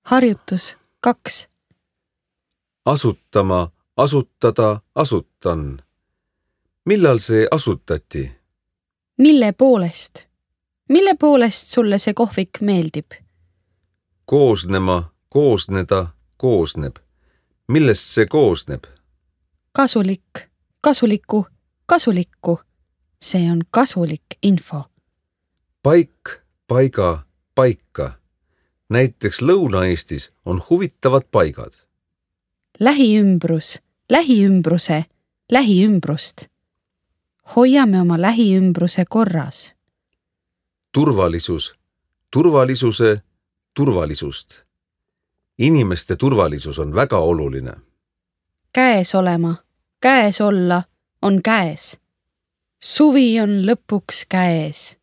Harjutus 2. Asutama, asutada, asutan. Millal see asutati? Mille poolest? Mille poolest sulle see kohvik meeldib? Koosnema, koosneda, koosneb. Millest see koosneb? Kasulik, kasuliku, kasulikku. See on kasulik info. Paik, paiga, paika. Näiteks Lõuna-Eestis on huvitavad paigad. Lähiümbrus, lähiümbruse, lähiümbrust. Hoiame oma lähiümbruse korras. Turvalisus, turvalisuse, turvalisust. Inimeste turvalisus on väga oluline. Käes olema, käes olla on käes. Suvi on lõpuks käes.